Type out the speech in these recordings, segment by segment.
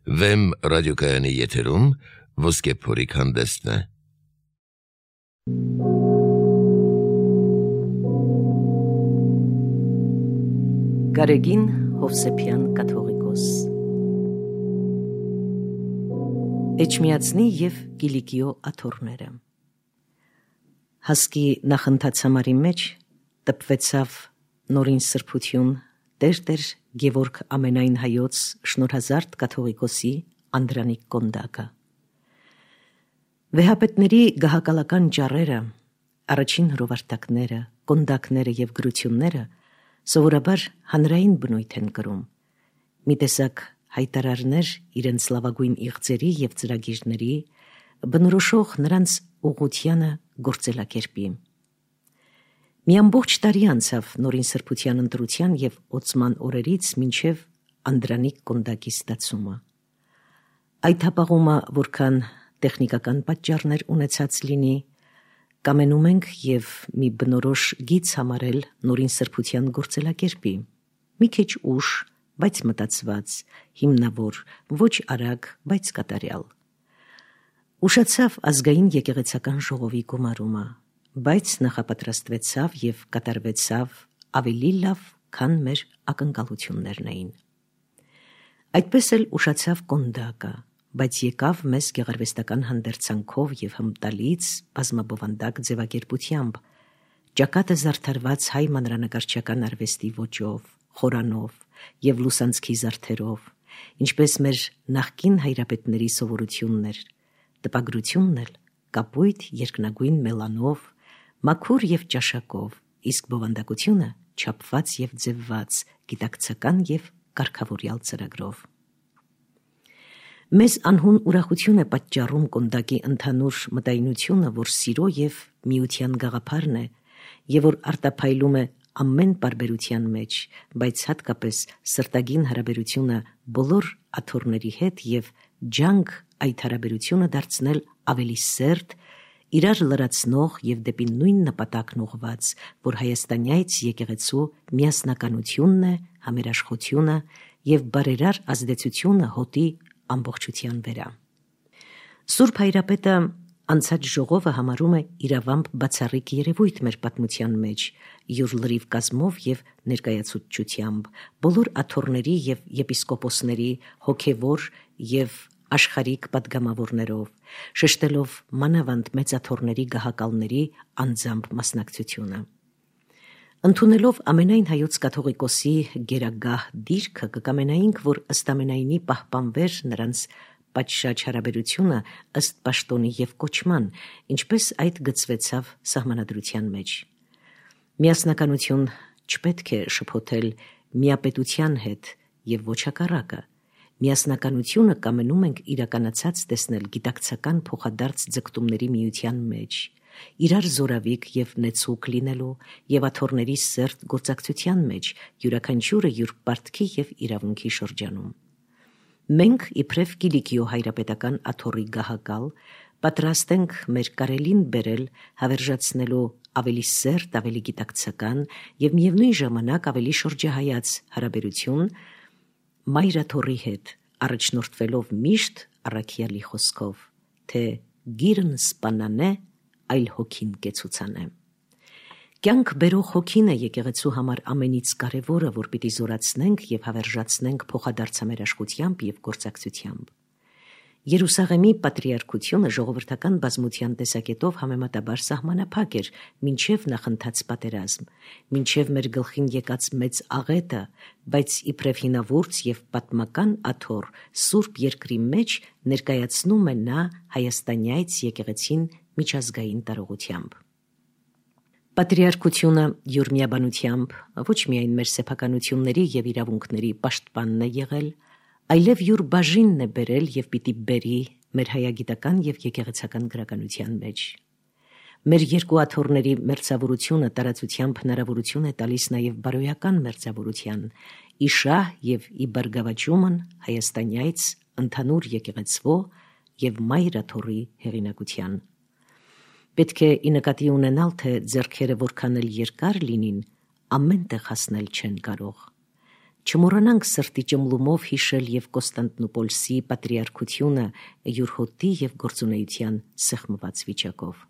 Վեմ ռադիոկայանի եթերում ոսկե փորիկ հանդեսն է։ Գարեգին Հովսեփյան կաթողիկոս Էջմիածնի և Կիլիկիո աթոռները Հասկի նախընթացամարի մեջ տպվեցավ նորին սրբություն Տեր Գևորգ ամենայն հայոց շնորհազարդ կաթողիկոսի Անդրանիկ Կոնդակը։ Վեհապետների գահակալական ճառերը, առաջին հրովարտակները, կոնդակները և գրությունները սովորաբար հանրային բնույթ են կրում, մի տեսակ հայտարարներ իրենց լավագույն իղձերի և ծրագիրների, բնորոշող նրանց ուղղությանը գործելակերպի։ Մի ամբողջ տարի անցավ նորին սրբության ընտրության և օծման օրերից մինչև Անդրանիկ Կոնդակի ստացումը։ Այդ հապաղումը որքան տեխնիկական պատճառներ ունեցած լինի, կամենում ենք և մի բնորոշ գիծ համարել նորին սրբության գործելակերպի, մի քիչ ուշ, բայց մտածված, հիմնավոր, ոչ արագ, բայց կատարյալ։ Ուշացավ ազգային եկեղեցական ժողովի գումարումը, բայց նախապատրաստվեցավ և կատարվեցավ ավելի լավ, քան մեր ակնկալություններն էին։ Այդպես էլ ուշացավ Կոնդակը, բայց եկավ մեզ գեղարվեստական հանդերձանքով և հմտալից բազմաբովանդակ ձևակերպությամբ, ճակատը զարդարված հայ մանրանկարչական արվեստի ոճով, խորանով և լուսանցքի զարդերով, ինչպես մեր նախկին հայրապետների սովորությունն էր, տպագրությունն էլ կապույտ երկնագույն մելանով, մաքուր և ճաշակով, իսկ բովանդակությունը չափված և ձևված, գիտակցական և կարգավորյալ ծրագրով։ Մեզ անհուն ուրախություն է պատճառում Կոնդակի ընդհանուր մտայնությունը, որ սիրո և միության գաղափարն է, և որ արտափայլում է ամեն պարբերության մեջ, բայց հատկապես սրտագին հարաբերությունը բոլոր աթոռների հետ և ջանք այդ հարաբերությունը դարձնել ավելի սերտ, իրար լրացնող և դեպի նույն նպատակն ուղղված, որ հայաստանյաց եկեղեցու միասնականությունն է, համերաշխությունը և բարերար ազդեցությունը հոտի ամբողջության վերա։ Սուրբ Հայրապետը անցած ժողովը համարում է իրավամբ բացառիկ երևույթ մեր պատմության մեջ, յուր լրիվ կազմով և ներկայացուցչությամբ, բոլոր աթոռների և եպիսկոպոսների հոգևոր և աշխարհիկ պատգամավորներով, շեշտելով մանավանդ մեծ աթոռների գահակալների անձամբ մասնակցությունը։ Ընդունելով ամենայն հայոց կաթողիկոսի գերագահ դիրքը, կկամենայինք, որ ըստ ամենայնի պահպանվեր նրանց պատշաճ հարաբերությունը ըստ պաշտոնի և կոչման, ինչպես այդ գծվեցավ սահմանադրության մեջ։ Միասնականություն չպետք է շփոթել միապետության հետ և ոչ հակառակը։ Միասնականությունը կամենում ենք իրականացած տեսնել գիտակցական փոխադարձ ձգտումների միության մեջ, իրար զորավիք և նեցուկ լինելու և աթոռների սերտ գործակցության մեջ, յուրաքանչյուրը յուր պարտքի և իրավունքի շրջանում։ Մենք, իբրև Կիլիկիո հայրապետական աթոռի գահակալ, պատրաստ ենք մեր կարելին բերել հավերժացնելու ավելի սերտ, ավելի գիտակցական և միևնույն ժամանակ ավելի շրջահայաց հարաբերություն մայր աթոռի հետ, առաջնորդվելով միշտ առաքյալի խոսքով, թե գիրն սպանանե, այլ հոգին կեցուցանե։ Կյանք բերող հոգին է եկեղեցու համար ամենից կարևորը, որ պիտի զորացնենք և հավերժացնենք փոխադարձ համերաշխությամբ և գործակցությամբ։ Երուսաղեմի պատրիարքությունը ժողովրդական բազմության տեսակետով համեմատաբար սահմանափակ էր մինչև նախընթաց պատերազմ, մինչև մեր գլխին եկած մեծ աղետը, բայց իբրև հինավուրց և պատմական աթոռ Սուրբ Երկրի մեջ ներկայացնում է նա հայաստանյաց եկեղեցին միջազգային տարողությամբ։ Պատրիարքությունը յուր միաբանությամբ ոչ միայն մեր սեփականությունների և իրավունքների պաշտպանն է եղել, այլև յուր բաժինն է բերել և պիտի բերի մեր հայագիտական և եկեղեցական գրականության մեջ։ Մեր երկու աթոռների մերձավորությունը տարածությամբ հնարավորություն է տալիս նաև բարոյական մերձավորության, ի շահ և ի բարգավաճումն հայաստանյաց ընդհանուր եկեղեցվո և մայր աթոռի հեղինակության։ Պետք է ի նկատի ունենալ, թե ձեռքերը որքան էլ երկար լինին, ամեն տեղ հասնել չեն կարող։ Չմոռանանք սրտի ճմլումով հիշել եւ Կոստանդնուպոլսի պատրիարքությունը յուր հոտի եւ գործունեության սեղմված վիճակով։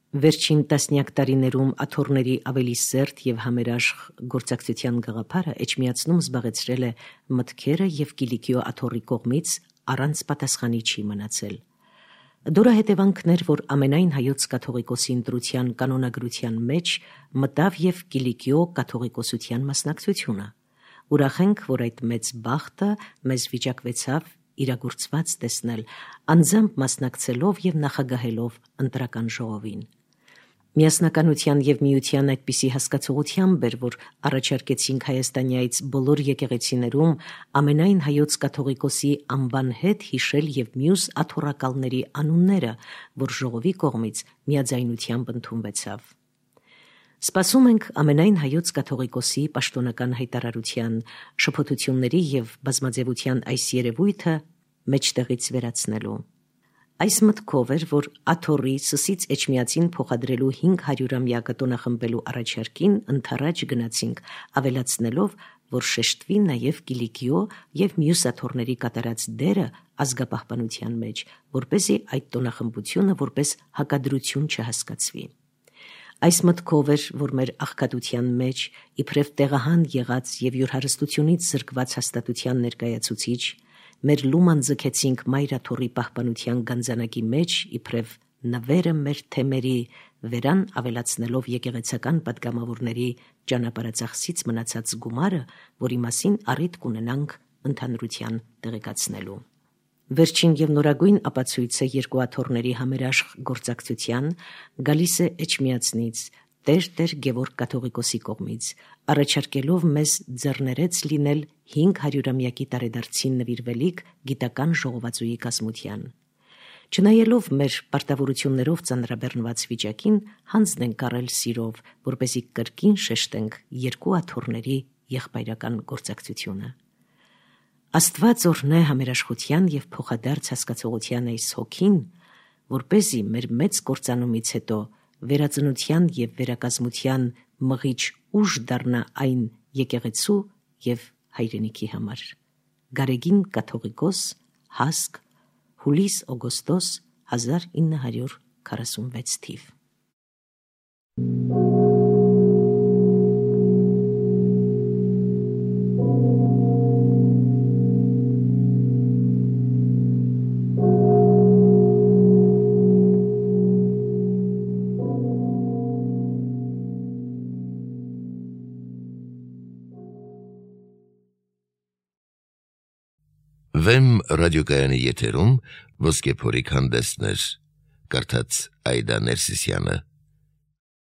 Վերջին տասնյակ տարիներում աթոռների ավելի սերտ եւ համերաշխ գործակցության գաղափարը էջմիածնում զբաղեցրել է մտքերը եւ Կիլիկիո աթոռի կողմից առանց պատասխանի չի մնացել։ Դրա հետևանքն էր, որ ամենայն հայոց կաթողիկոսի ընտրության կանոնագրության մեջ մտավ եւ Կիլիկիո կաթողիկոսության մասնակցությունը։ Ուրախ ենք, որ այդ մեծ բախտը մեզ վիճակվեցավ իրագործված տեսնել, անձամբ մասնակցելով եւ նախագահելով ընտրական ժողովին։ Միասնականության եւ միության այդպիսի հասկացողությամբ էր, որ առաջարկեցինք Հայաստանյայից բոլոր եկեղեցիներում ամենայն հայոց կաթողիկոսի անվան հետ հիշել եւ մյուս աթոռակալների անունները, որ ժողովի կողմից միաձայնությամբ ընդունվեցավ։ Սպասում ենք ամենայն հայոց կաթողիկոսի պաշտոնական հայտարարության, շփոթությունների եւ բազմաձևության այս երևույթը մեջտեղից վերացնելու։ Այս մտքով էր, որ աթոռի Սսից Էջմիածին փոխադրելու 500-ամյակը տոնախմբելու առաջարկին ընդառաջ գնացինք, ավելացնելով, որ շեշտվի նաև Կիլիկիո եւ մյուս աթոռների կատարած դերը ազգապահպանության մեջ, որպեսզի այդ տոնախմբությունը որպես հակադրություն չհասկացվի։ Այս մտքով էր, որ մեր աղքատության մեջ իբրև տեղահան եղած եւ յուր հարստությունից զրկված հաստատության ներկայացուցիչ մեր լուման ձգեցինք մայր աթոռի պահպանության գանձանակի մեջ իբրև նվերը մեր թեմերի վերան ավելացնելով եկեղեցական պատգամավորների ճանապարհածախսից մնացած գումարը, որի մասին առիթ կունենանք ընդհանրության տեղեկացնելու։ Վերջին եւ նորագույն ապացույցը երկու աթոռների համերաշխ գործակցության գալիս է Էջմիածնից, Տեր Գևորգ կաթողիկոսի կողմից, առաջարկելով մեզ ձեռներեց լինել 500-ամյակի տարեդարձին նվիրվելիք գիտական ժողովածուի կազմության։ Չնայելով մեր պարտավորություններով ծանրաբեռնված վիճակին, հանձնենք առել սիրով, որպեսզի կրկին շեշտենք երկու աթոռների եղբայրական գործակցությունը։ Աստված օրհնե համերաշխության եւ փոխադարձ հասկացողության այս հոգին, որպեսզի մեր մեծ կործանումից հետո վերածնության եւ վերակազմության մղիչ ուժ դառնա այն եկեղեցու եւ հայրենիքի համար։ Գարեգին կաթողիկոս, Հասկ, հուլիս-օգոստոս 1946 թիվ։ Վեմ ռադիոկայանի եթերում ոսկե փորիկ հանդեսներ, կարդաց Այդա Ներսիսյանը։